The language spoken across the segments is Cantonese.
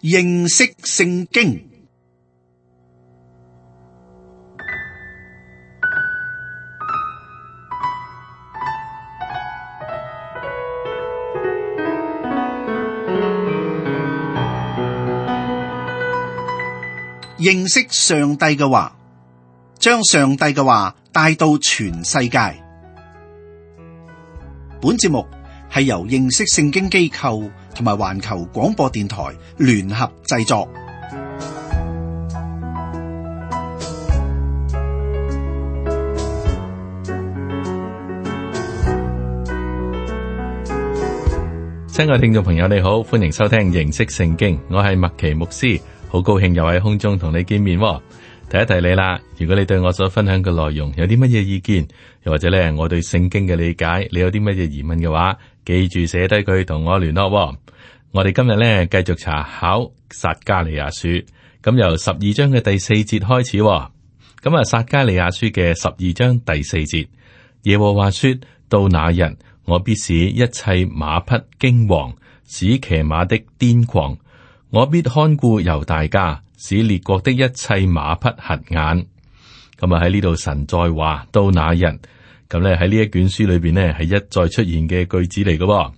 認識聖經。認識上帝嘅話，將上帝嘅話帶到全世界。本節目係由認識聖經機構同埋環球廣播電台聯合製作。親愛聽眾朋友，你好，歡迎收聽認識聖經，我係麥奇牧師。好高興又喺空中同你見面。提一提你啦，如果你對我所分享嘅內容有啲乜嘢意見，又或者咧我對聖經嘅理解，你有啲乜嘢疑問嘅話，記住寫低佢同我聯絡。我哋今日咧繼續查考撒迦利亞書，咁由12章嘅第4節開始。咁啊，撒迦利亞書嘅12章第4節，耶和華說：到那日，我必使一切馬匹驚惶，使騎馬的癲狂。我必看顧猶大家，使列國的一切馬匹瞎眼。咁啊，喺呢度神再話到那日，咁咧喺呢一卷書裏邊呢係一再出現嘅句子嚟嘅。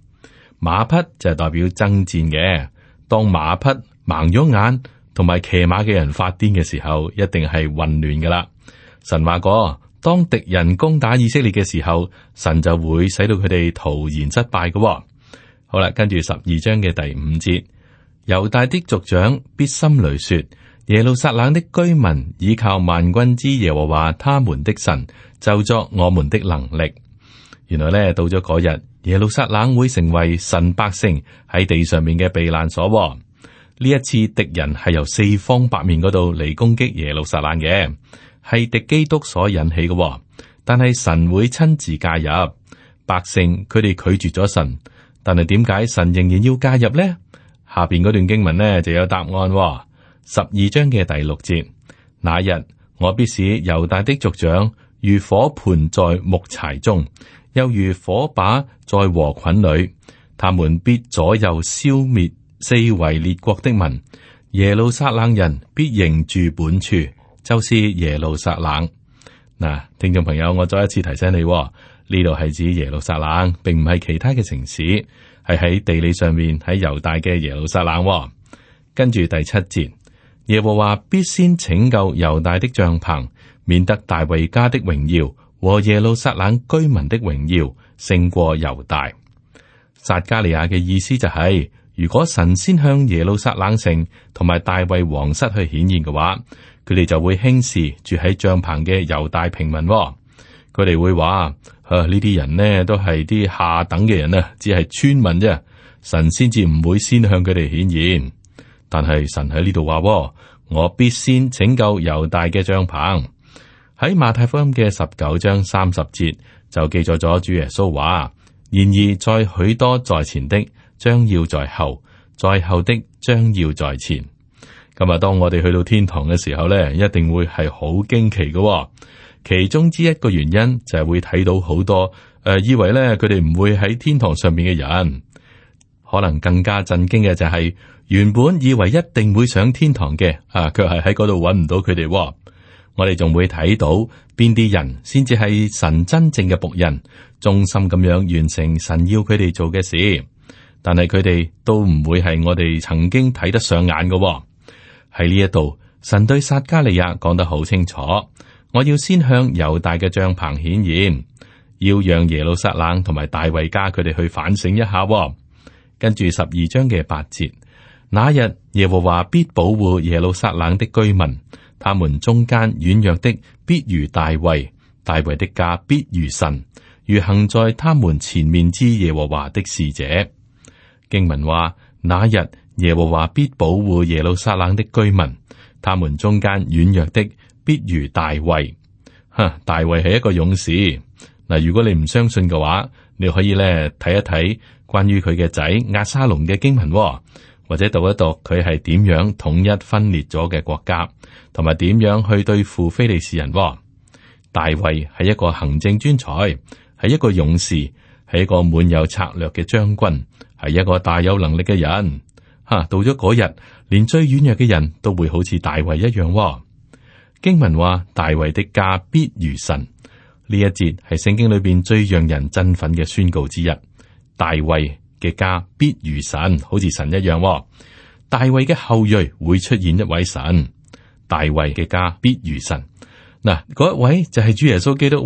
馬匹就係代表爭戰嘅，當馬匹盲咗眼同埋騎馬嘅人發癲嘅時候，一定係混亂噶啦。神話過，當敵人攻打以色列嘅時候，神就會使到佢哋徒然失敗嘅。好啦，跟住12章嘅第5節。猶大的族長必心裏說：耶路撒冷的居民倚靠萬軍之耶和華他們的神，就作我們的能力。原來呢，到咗嗰日，耶路撒冷會成為神百姓喺地上面嘅避難所。呢一次敵人係由四方八面嗰度嚟攻擊耶路撒冷嘅，係敵基督所引起嘅。但係神會親自介入，百姓佢哋拒絕咗神，但係點解神仍然要介入呢？下邊嗰段經文呢就有答案。12章嘅第6節，那日我必使猶大的族長如火盆在木柴中，又如火把在禾捆裏，他們必左右消滅四圍列國的民。耶路撒冷人必仍住本處，就是耶路撒冷。嗱，聽眾朋友，我再一次提醒你，呢度係指耶路撒冷，並唔係其他嘅城市，係喺地理上面喺猶大嘅耶路撒冷。跟住第7節，耶和華必先拯救猶大的帳篷，免得大衛家的榮耀和耶路撒冷居民的榮耀勝過猶大。撒迦利亞嘅意思就係，如果神先向耶路撒冷城同埋大衛王室去顯現嘅話，佢哋就會輕視住喺帳篷嘅猶大平民。佢哋會話：呢啲人呢都係啲下等嘅人啊，只係村民啫。神先至唔會先向佢哋顯現。但係神喺呢度話：我必先拯救猶大嘅帳篷。喺馬太福音嘅19章30節就記載咗主耶穌話：然而在許多在前的，將要在後；在後的，將要在前。咁啊，當我哋去到天堂嘅時候咧，一定會係好驚奇嘅。其中之一個原因就係會睇到好多以為咧佢哋唔會喺天堂上面嘅人。可能更加震驚嘅就係，原本以為一定會上天堂嘅卻係喺嗰度揾唔到佢哋。我哋仲會睇到邊啲人先至係神真正嘅僕人，忠心咁樣完成神要佢哋做嘅事。但係佢哋都唔會係我哋曾經睇得上眼嘅。喺呢一度，神對撒迦利亞講得好清楚。我要先向猶大嘅帳篷顯現，要讓耶路撒冷同埋大衛家佢哋去反省一下。跟住12章嘅8節，那日耶和華必保護耶路撒冷的居民，他們中間軟弱的必如大衛，大衛的家必如神，如行在他們前面之耶和華的使者。經文話：那日耶和華必保護耶路撒冷的居民，他們中間軟弱的必如大衛。大衛係一個勇士。嗱，如果你唔相信嘅話，你可以咧睇一睇關於佢嘅仔押沙龍嘅經文，或者讀一讀佢係點樣統一分裂咗嘅國家，同埋點樣去對付非利士人。大衛係一個行政專才，係一個勇士，係一個滿有策略嘅將軍，係一個大有能力嘅人。到咗嗰日，連最軟弱嘅人都會好似大衛一樣。經文話大衛的家必如神，呢一節係聖經裏邊最讓人振奮嘅宣告之一。大衛嘅家必如神，好似神一樣。大衛嘅後裔會出現一位神，大衛嘅家必如神。嗱，嗰一位就係主耶穌基督，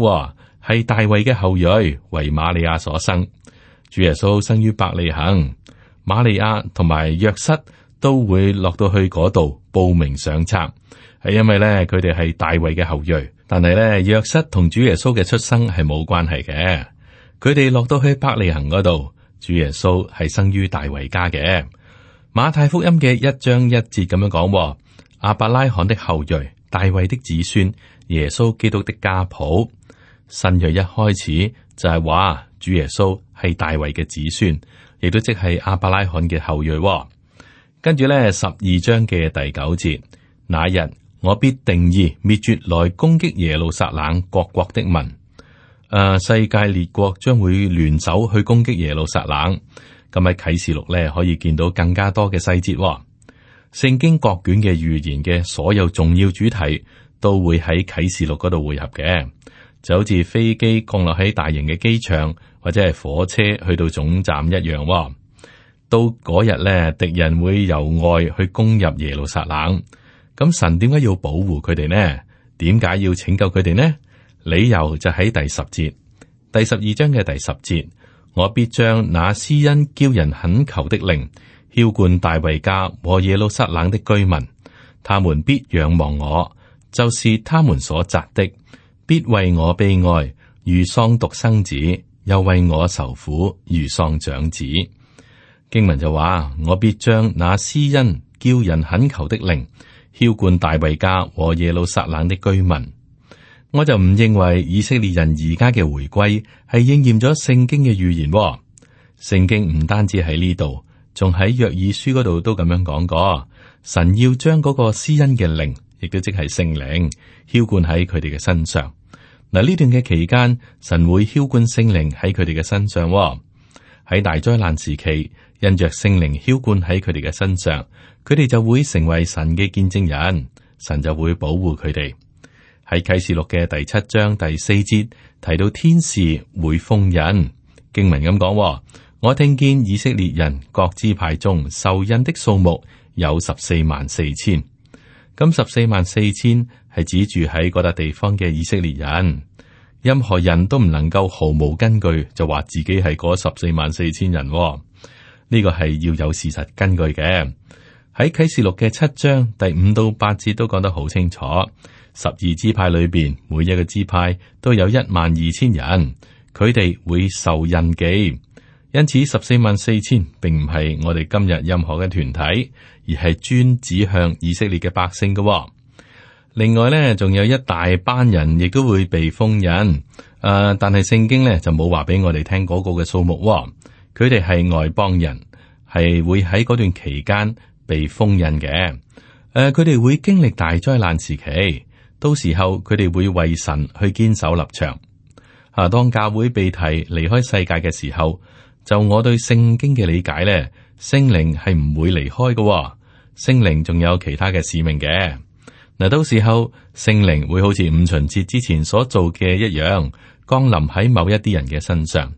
係大衛嘅後裔，為瑪利亞所生。主耶穌生於伯利恆，瑪利亞同埋約瑟都會落到去嗰度報名上冊，係因為咧佢哋係大衛嘅後裔。但係咧約瑟同主耶穌嘅出生係冇關係嘅，佢哋落到去伯利恆嗰度，主耶穌係生於大衛家嘅。馬太福音嘅1章1節咁樣講，亞伯拉罕的後裔，大衛的子孫，耶穌基督的家譜。新約一開始就係話主耶穌係大衛嘅子孫，亦都即係亞伯拉罕嘅後裔。跟住咧12章嘅第9節，那日我必定意滅絕來攻擊耶路撒冷各國的民。世界列國將會聯手去攻擊耶路撒冷。咁喺啟示錄咧可以見到更加多嘅細節。聖經各卷嘅預言嘅所有重要主題都會喺啟示錄嗰度匯合嘅，就好似飛機降落喺大型嘅機場或者係火車去到總站一樣。到嗰日咧，敵人會由外去攻入耶路撒冷。咁神點解要保護佢哋呢？點解要拯救佢哋呢？理由就喺第10節，第12章嘅第10節，我必將那施恩叫人懇求的靈澆灌大衛家和耶路撒冷的居民，他們必仰望我，就是他們所擇的，必為我悲哀，如喪獨生子，又為我愁苦，如喪長子。經文就話，我必將那施恩叫人懇求的靈澆灌大衛家和耶路撒冷的居民。我就唔認為以色列人而家嘅回歸係應驗咗聖經嘅預言。聖經唔單止喺呢度，仲喺約珥書嗰度都咁樣講過，神要將嗰個施恩嘅靈，亦都即係聖靈，澆灌喺佢哋嘅身上。嗱，呢段嘅期間，神會澆灌聖靈喺佢哋嘅身上。喺大災難時期，因着聖靈澆灌喺佢哋嘅身上，佢哋就會成為神嘅見證人，神就會保護佢哋。喺啟示錄嘅第7章第4節提到天使會封印，經文咁講，我聽見以色列人各支派中受印的數目有144000，咁144000係指住喺嗰笪地方嘅以色列人，任何人都唔能夠毫無根據就話自己係嗰144000人，呢個係要有事實根據嘅。喺啟示錄嘅7章第5到8節都講得好清楚。12支派裏邊，每一個支派都有12000人，佢哋會受印記，因此144000並唔係我哋今日任何嘅團體，而係專指向以色列嘅百姓嘅。另外呢，仲有一大班人亦都會被封印，但係聖經呢就冇話俾我哋聽嗰個嘅數目。佢哋係外邦人，係會喺嗰段期間被封印嘅。佢哋會經歷大災難時期。到時候佢哋會為神去堅守立場。當教會被提離開世界嘅時候，就我對聖經嘅理解咧，聖靈係唔會離開嘅。聖靈仲有其他嘅使命嘅。嗱，到時候聖靈會好似五旬節之前所做嘅一樣，降臨喺某一啲人嘅身上。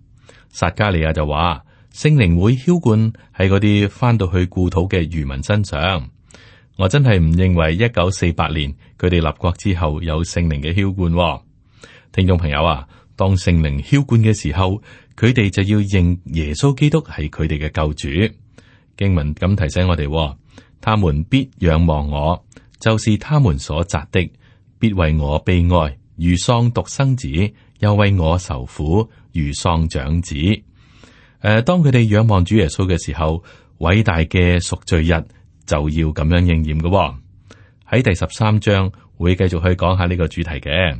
撒迦利亞就話，聖靈會澆灌喺嗰啲翻到去故土嘅餘民身上。我真係唔認為1948年佢哋立國之後有聖靈嘅澆灌。聽眾朋友啊，當聖靈澆灌嘅時候，佢哋就要認耶穌基督係佢哋嘅救主。經文咁提醒我哋，他們必仰望我，就是他們所擇的，必為我悲哀，如喪獨生子，又為我愁苦，如喪長子。當佢哋仰望主耶穌嘅時候，偉大嘅贖罪日就要咁樣應驗嘅。喺第13章會繼續去講下呢個主題嘅。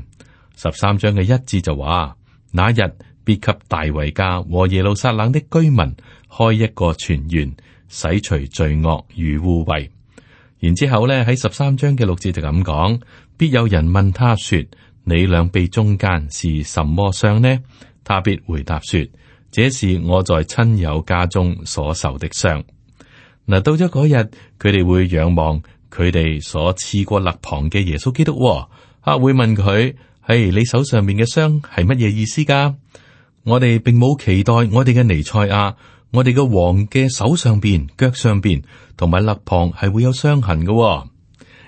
13章嘅1節就話，那日必給大衛家和耶路撒冷的居民開一個泉源，洗除罪惡與污穢。然之後咧，喺13章嘅6節就咁講，必有人問他說，你兩臂中間是什麼傷呢？他必回答說，這是我在親友家中所受的傷。嗱，到咗嗰日，佢哋會仰望佢哋所刺過肋旁嘅耶穌基督，會問佢：係你手上面嘅傷係乜嘢意思噶？我哋並冇期待我哋嘅彌賽亞，我哋嘅王嘅手上邊、腳上邊同埋肋旁係會有傷痕嘅。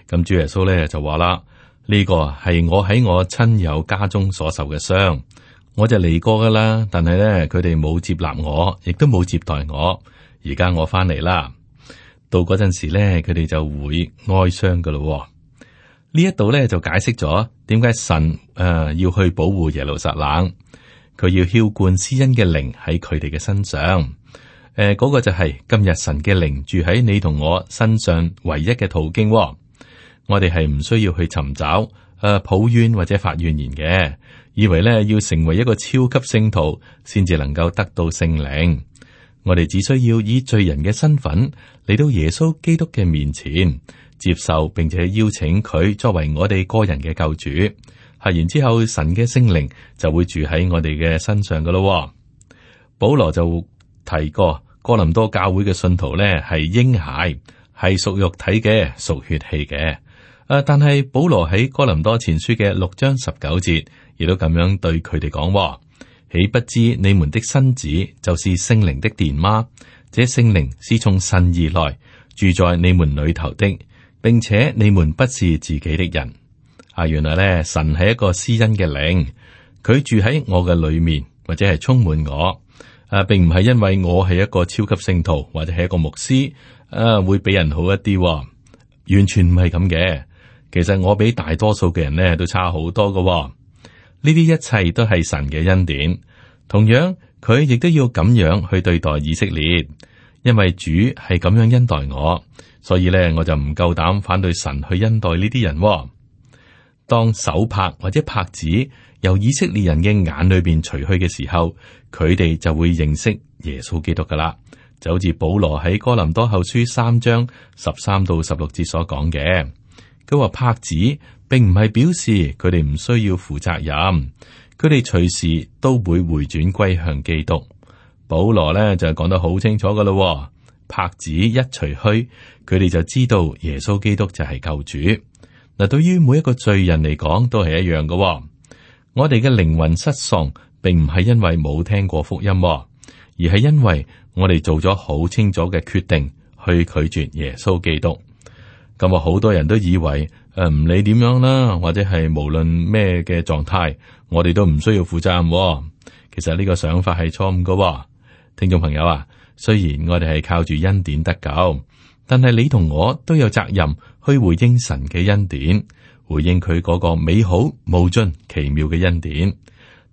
咁主耶穌咧就話啦：呢個係我喺我親友家中所受嘅傷，我就嚟過噶啦，但係咧佢哋冇接納我，亦都冇接待我。而家我翻嚟啦。到嗰陣時咧，佢哋就會哀傷噶咯。呢一度咧就解釋咗點解神要去保護耶路撒冷，佢要澆灌施恩嘅靈喺佢哋嘅身上。嗰個就係今日神嘅靈住喺你同我身上唯一嘅途徑。我哋係唔需要去尋找抱怨或者發怨言嘅，以為咧要成為一個超級聖徒先至能夠得到聖靈。我哋只需要以罪人嘅身份嚟到耶穌基督嘅面前，接受並且邀請佢作為我哋個人嘅救主。係然之後，神嘅聖靈就會住喺我哋嘅身上噶咯。保羅就提過哥林多教會嘅信徒咧係嬰孩，係屬肉體嘅，屬血氣嘅。但係保羅喺哥林多前書嘅6章19節，亦都咁樣對佢哋講。豈不知你們的身子就是聖靈的殿嗎？這聖靈是從神而來，住在你們裏頭的，並且你們不是自己的人。原來咧，神係一個施恩嘅靈，佢住喺我嘅裏面，或者係充滿我。並唔係因為我係一個超級聖徒，或者係一個牧師，會比人好一啲，完全唔係咁嘅。其實我比大多數嘅人咧都差好多㗎。呢啲一切都係神嘅恩典，同樣佢亦都要咁樣去對待以色列，因為主係咁樣恩待我，所以咧我就唔夠膽反對神去恩待呢啲人。當手帕或者帕子由以色列人嘅眼裏邊除去嘅時候，佢哋就會認識耶穌基督噶啦，就好似保羅喺哥林多後書3章13到16節所講嘅。佢話帕子並唔係表示佢哋唔需要負責任，佢哋隨時都會回轉歸向基督。保羅咧就講得好清楚噶啦，帕子一除去，佢哋就知道耶穌基督就係救主。嗱，對於每一個罪人嚟講都係一樣噶。我哋嘅靈魂失喪，並唔係因為冇聽過福音，而係因為我哋做咗好清楚嘅決定去拒絕耶穌基督。咁啊，好多人都以為唔理點樣啦，或者係無論咩嘅狀態，我哋都唔需要負責任。其實呢個想法係錯誤噶。聽眾朋友啊，雖然我哋係靠住恩典得救，但係你同我都有責任去回應神嘅恩典，回應佢嗰個美好無盡奇妙嘅恩典。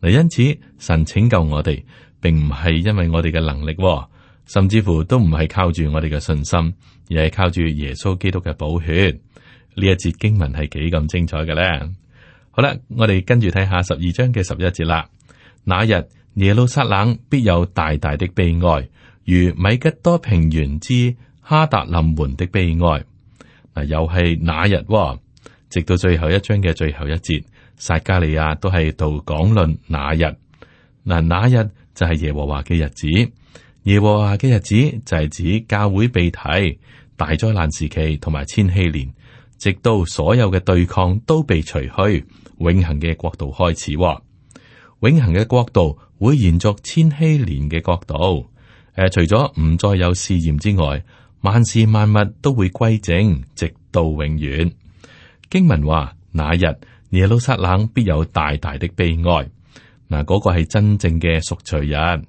嗱，因此神拯救我哋，並唔係因為我哋嘅能力，甚至乎都唔係靠住我哋嘅信心，而係靠住耶穌基督嘅寶血。呢一節經文係幾咁精彩嘅咧？好啦，我哋跟住睇下12章嘅11節啦。那日耶路撒冷必有大大的悲哀，如米吉多平原之哈達林門的悲哀。嗱，又係那日，直到最後一章嘅最後一節，撒迦利亞都係度講論那日。嗱，那日就係耶和華嘅日子。耶和華嘅日子就係指教會被提、大災難時期同埋千禧年，直到所有嘅對抗都被除去，永恆嘅國度開始。永恆嘅國度會延續千禧年嘅國度。除咗唔再有試驗之外，萬事萬物都會歸正，直到永遠。經文話：那日耶路撒冷必有大大的悲哀。嗱，嗰個係真正嘅贖罪日。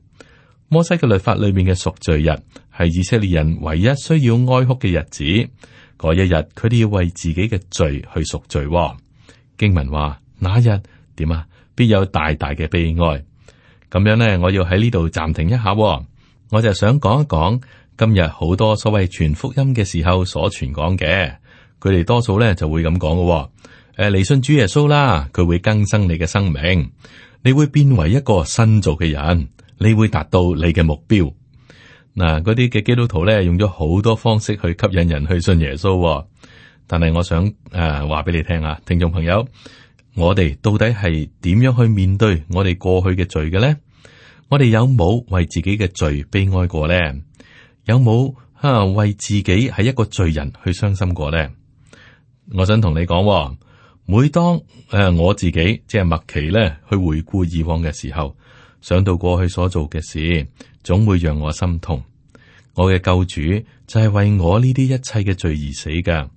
摩西嘅律法裏面嘅贖罪日係以色列人唯一需要哀哭嘅日子。嗰一日，佢哋要為自己嘅罪去贖罪。經文話：那日點啊？必有大大嘅悲哀。咁樣呢，我要喺呢度暫停一下。我就想講一講今日好多所謂傳福音嘅時候所傳講嘅，佢哋多數咧就會咁講嘅。嚟信主耶穌啦，佢會更新你嘅生命，你會變為一個新造嘅人，你會達到你嘅目標。嗱，嗰啲嘅基督徒咧用咗好多方式去吸引人去信耶穌，但係我想話俾你聽啊，聽眾朋友，我哋到底係點樣去面對我哋過去嘅罪嘅咧？我哋有冇為自己嘅罪悲哀過咧？有冇為自己係一個罪人去傷心過呢？我想同你講，每當我自己即係麥奇咧去回顧以往嘅時候，想到過去所做嘅事，總會讓我心痛。我嘅救主就係為我呢啲一切嘅罪而死㗎。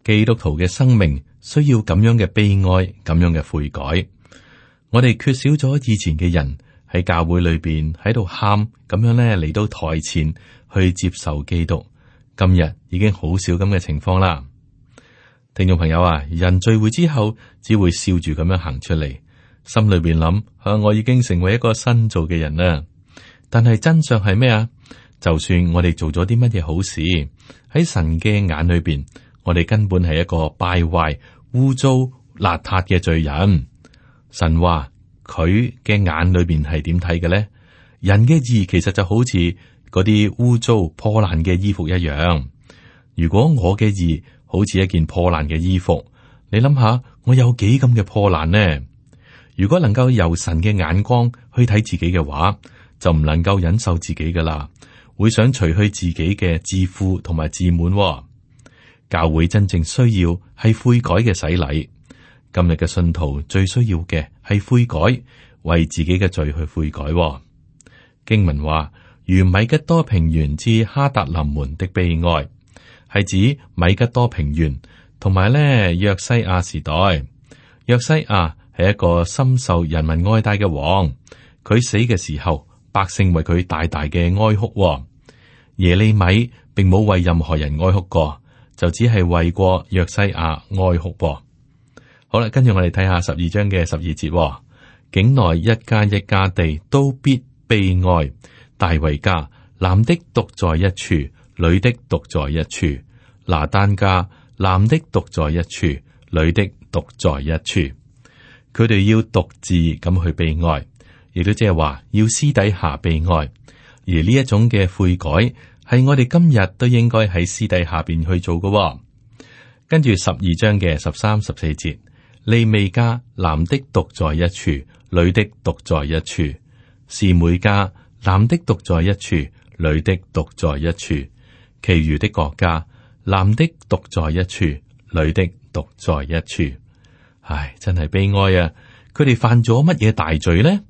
基督徒嘅生命需要咁樣嘅悲哀，咁樣嘅悔改。我哋缺少咗以前嘅人喺教會裏邊喺度喊，咁樣咧嚟到台前去接受基督。今日已經好少咁嘅情況啦。聽眾朋友啊，人聚會之後只會笑住咁樣行出嚟，心裏邊諗我已經成為一個新造嘅人啦。但係真相係咩啊？就算我哋做咗啲乜嘢好事，喺神嘅眼裏邊，我哋根本係一個敗壞、污糟、邋遢嘅罪人。神話佢嘅眼裏邊係點睇嘅咧？人嘅義其實就好似嗰啲污糟破爛嘅衣服一樣。如果我嘅義好似一件破爛嘅衣服，你諗下我有幾咁嘅破爛呢？如果能夠由神嘅眼光去睇自己嘅話，就唔能夠忍受自己噶啦，會想除去自己嘅自負同埋自滿。教會真正需要係悔改嘅洗禮。今日嘅信徒最需要嘅係悔改，為自己嘅罪去悔改。經文話，如米吉多平原至哈達林門的悲哀，係指米吉多平原同埋咧約西亞時代。約西亞係一個深受人民愛戴嘅王，佢死嘅時候，百姓為佢大大嘅哀哭。耶利米並冇為任何人哀哭過，就只係為過約西亞哀哭。好啦，跟住我哋睇下12章嘅12節，境內一家一家地都必悲哀，大衛家男的獨在一處，女的獨在一處，拿單家男的獨在一處，女的獨在一處。佢哋要獨自咁去悲哀，亦都即係話要私底下悲哀。而呢一種嘅悔改係我哋今日都應該喺私底下邊去做嘅。跟住12章嘅13、14節，利未家男的獨在一處，女的獨在一處，示每家男的獨在一處，女的獨在一處，其餘的國家男的獨在一處，女的獨在一處。唉，真係悲哀啊！佢哋犯咗乜嘢大罪呢？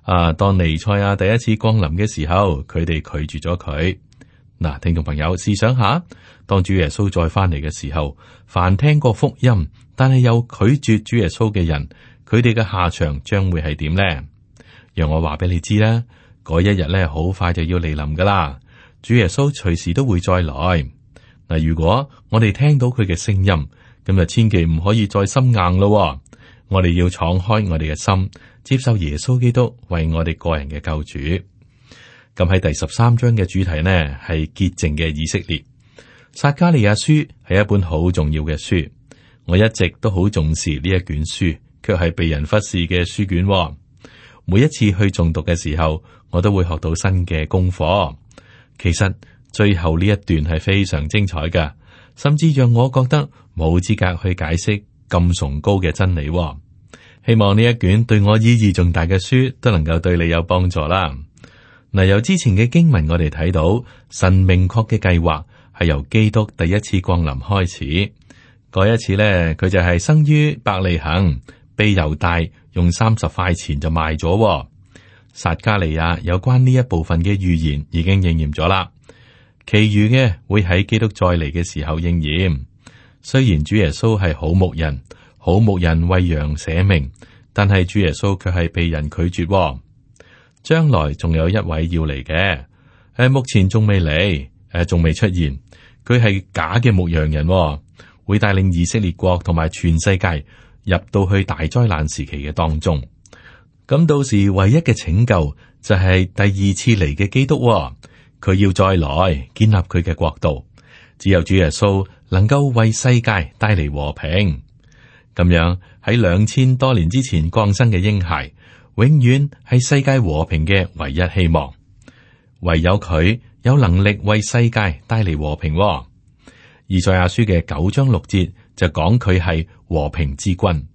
當彌賽亞第一次降臨嘅時候，佢哋拒絕咗佢。嗱，聽眾朋友，試想下，當主耶穌再翻嚟嘅時候，凡聽過福音但係又拒絕主耶穌嘅人，佢哋嘅下場將會係點呢？讓我話俾你知啦，嗰一日咧好快就要嚟臨噶啦。主耶穌隨時都會再來。嗱，如果我哋聽到佢嘅聲音，咁就千祈唔可以再心硬咯。我哋要敞開我哋嘅心，接受耶穌基督為我哋個人嘅救主。咁喺第13章嘅主題呢，係潔淨嘅以色列。撒迦利亞書係一本好重要嘅書，我一直都好重視呢一卷書，卻係被人忽視嘅書卷。每一次去誦讀嘅時候，我都會學到新嘅功課。其實最後呢一段係非常精彩㗎，甚至讓我覺得冇資格去解釋咁崇高嘅真理。希望呢一卷對我意義重大嘅書都能夠對你有幫助啦。嗱，由之前嘅經文我哋睇到，神明確嘅計劃係由基督第一次降臨開始。嗰一次呢，佢就係生於伯利恆，被猶大用30塊錢就賣咗。撒迦利亞有關呢一部分嘅預言已經應驗咗啦，其餘嘅會喺基督再嚟嘅時候應驗。雖然主耶穌係好牧人，好牧人為羊捨命，但係主耶穌卻係被人拒絕。將來仲有一位要嚟嘅，目前仲未嚟，仲未出現。佢係假嘅牧羊人，會帶領以色列國同埋全世界入到去大災難時期嘅當中。咁到時唯一嘅拯救就係第二次嚟嘅基督，佢要再來建立佢嘅國度。只有主耶穌能夠為世界帶嚟和平。咁樣喺2000多年之前降生嘅嬰孩，永遠係世界和平嘅唯一希望。唯有佢有能力為世界帶嚟和平。以賽亞書嘅9章6節就講佢係和平之君。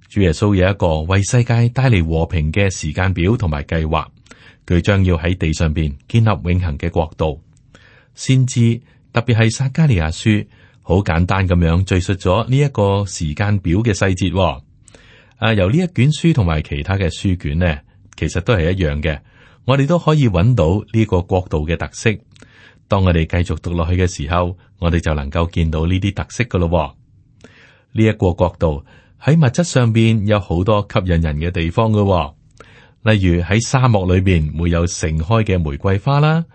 主耶穌有一個為世界帶嚟和平嘅時間表同埋計劃，佢將要喺地上邊建立永恆嘅國度。先知特別係撒迦利亞書，好簡單咁樣敘述咗呢一個時間表嘅細節。由呢一卷書同埋其他嘅書卷呢，其實都係一樣嘅。我哋都可以揾到呢個國度嘅特色。當我哋繼續讀落去嘅時候，我哋就能夠見到呢啲特色噶咯。呢一個國度喺物質上邊有好多吸引人嘅地方噶，例如喺沙漠裏邊會有盛開嘅玫瑰花啦，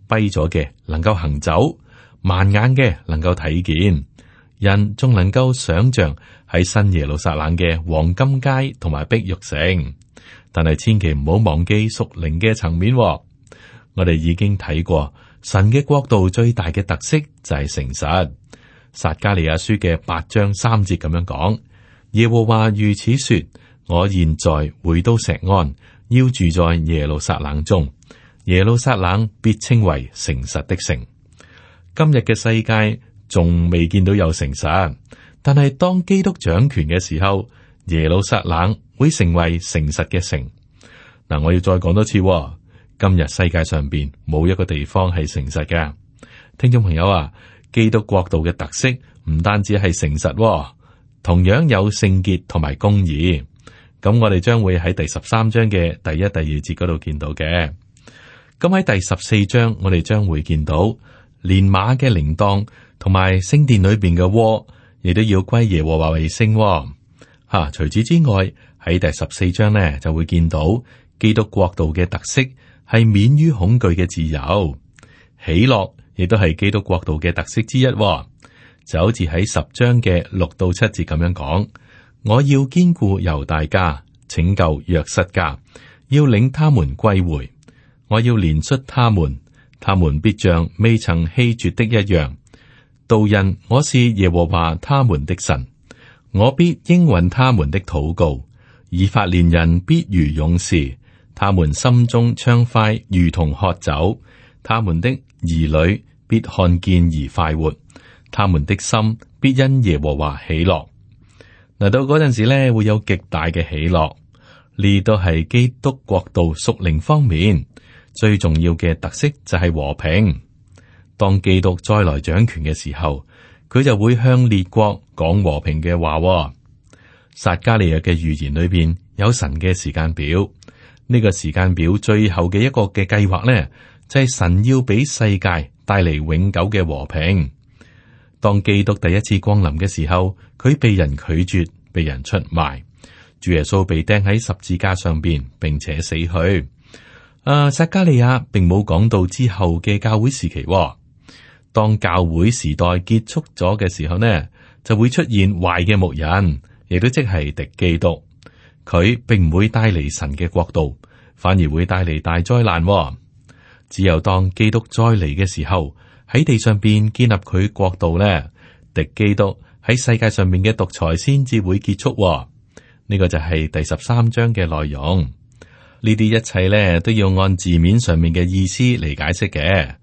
跛咗嘅能夠行走，盲眼嘅能夠睇見，人仲能夠想象喺新耶路撒冷嘅黃金街同埋碧玉城。但係千祈唔好忘記屬靈嘅層面。我哋已經睇過神嘅國度最大嘅特色就係誠實。撒迦利亞書嘅8章3節咁樣講：耶和華如此說，我現在回到錫安，要住在耶路撒冷中，耶路撒冷必稱為誠實的城。今日嘅世界仲未見到有誠實，但係當基督掌權嘅時候，耶路撒冷會成為誠實嘅城。嗱，我要再講多次，今日世界上邊冇一個地方係誠實嘅。聽眾朋友啊，基督國度嘅特色唔單止係誠實，同樣有聖潔同埋公義。咁我哋將會喺第13章嘅第1、第2節嗰度見到嘅。咁喺第14章，我哋將會見到連馬嘅鈴鐺同埋聖殿裏邊嘅鍋，亦都要歸耶和華為聖。除此之外，喺第14章呢就會見到基督國度嘅特色係免於恐懼嘅自由，喜樂亦都係基督國度嘅特色之一。就好似喺10章嘅6到7節咁樣講：我要堅固猶大家，拯救約瑟家，要領他們歸回。我要憐恤他們，他們必像未曾棄絕的一樣。道人，我是耶和華他們的神。我必應允他們的禱告，以法蓮人必如勇士，他們心中暢快如同喝酒，他們的兒女必看見而快活，他們的心必因耶和華喜樂。嗱，到嗰陣時咧，會有極大嘅喜樂。呢都係基督國度屬靈方面最重要嘅特色，就係和平。當基督再來掌權嘅時候，佢就會向列國講和平嘅話。撒迦利亞嘅預言裏邊有神嘅時間表，呢個時間表最後嘅一個嘅計劃呢，就係神要俾世界帶嚟永久嘅和平。當基督第一次光臨嘅時候，佢被人拒絕，被人出賣，主耶穌被釘喺十字架上邊，並且死去。撒迦利亞並冇講到之後嘅教會時期。當教會時代結束咗嘅時候呢，就會出現壞嘅牧人，亦都即係敵基督。佢並唔會帶嚟神嘅國度，反而會帶嚟大災難。只有當基督再嚟嘅時候，喺地上邊建立佢國度呢，敵基督喺世界上面嘅獨裁先至會結束。呢個就係第13章嘅內容。呢啲一切呢，都要按字面上面嘅意思嚟解釋嘅。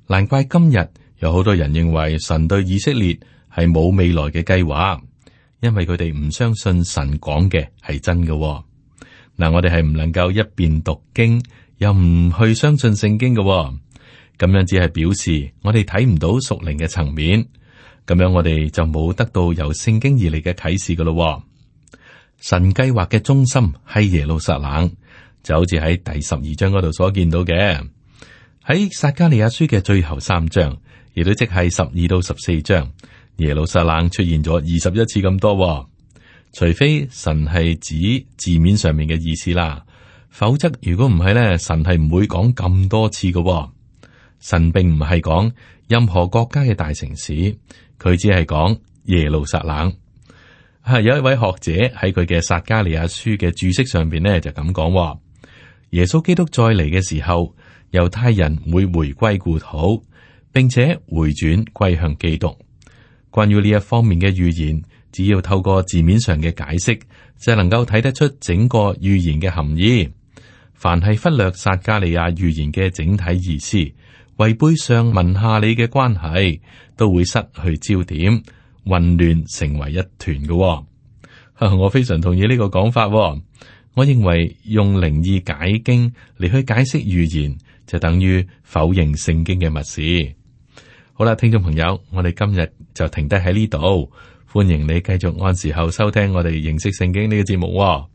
難怪今日有好多人認為神對以色列係冇未來嘅計劃，因為佢哋唔相信神講嘅係真嘅。嗱，我哋係唔能夠一邊讀經又唔去相信聖經嘅。咁樣只係表示我哋睇唔到屬靈嘅層面，咁樣我哋就冇得到由聖經而嚟嘅啟示噶咯。神計劃嘅中心係耶路撒冷，就好似喺第12章嗰度所見到嘅。喺撒迦利亞書嘅最後3章，亦都即係12到14章，耶路撒冷出現咗21次咁多。除非神係指字面上面嘅意思啦，否則如果唔係咧，神係唔會講咁多次嘅。神並唔係講任何國家嘅大城市，佢只係講耶路撒冷。有一位學者喺佢嘅撒迦利亞書嘅注釋上邊呢，就咁講：耶穌基督再嚟嘅時候，猶太人會回歸故土，並且回轉歸向基督。關於呢一方面嘅預言，只要透過字面上嘅解釋，就能夠睇得出整個預言嘅含義。凡係忽略撒迦利亞預言嘅整體意思，違背上文下理嘅關係，都會失去焦點，混亂成為一團嘅。我非常同意呢個講法。我認為用靈意解經嚟去解釋預言，就等於否認聖經嘅默示。好啦，聽眾朋友，我哋今日就停低喺呢度，歡迎你繼續按時候收聽我哋認識聖經呢個節目喎。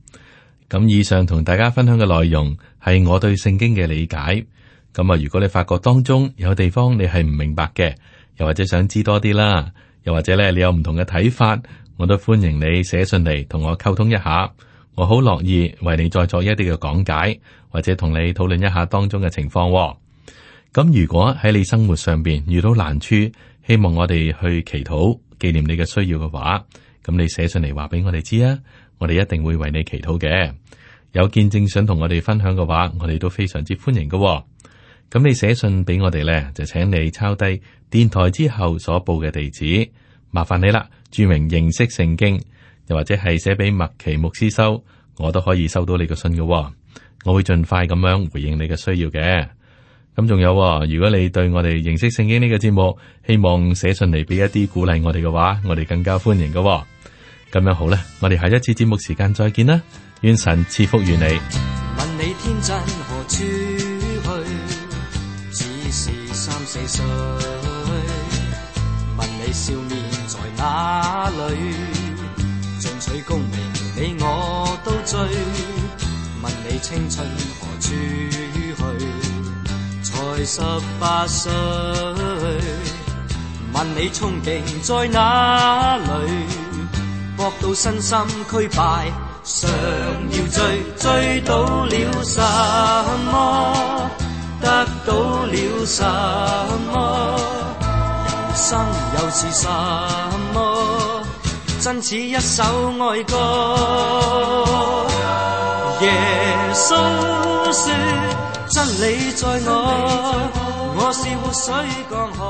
咁以上同大家分享嘅內容係我對聖經嘅理解。咁啊，如果你發覺當中有地方你係唔明白嘅，又或者想知多啲啦，又或者咧你有唔同嘅睇法，我都歡迎你寫信嚟同我溝通一下。我好樂意為你再作一啲嘅講解，或者同你討論一下當中嘅情況喎。咁如果喺你生活上邊遇到難處，希望我哋去祈禱紀念你嘅需要嘅話，咁你寫信嚟話俾我哋知啊，我哋一定會為你祈禱嘅。有見證想同我哋分享嘅話，我哋都非常之歡迎嘅喎。咁你寫信俾我哋咧，就請你抄低電台之後所報嘅地址，麻煩你啦，注明認識聖經，又或者係寫俾麥奇牧師收，我都可以收到你嘅信嘅喎。我會盡快咁樣回應你嘅需要嘅。咁仲有，如果你對我哋認識聖經呢個節目，希望寫信嚟俾一啲鼓勵我哋嘅話，我哋更加歡迎嘅。咁樣好啦，我哋下一次節目時間再見啦，願神賜福於你。問你天真何處去？只是3-4歲。問你笑面在哪裏？進取功名你我都追。問你青春何處去？才18歲，問你憧憬在哪裏？搏到身心俱敗，常要追到了什麼？得到了什麼？人生又是什麼？真似一首愛歌。耶穌說真理在我，我是活水江河。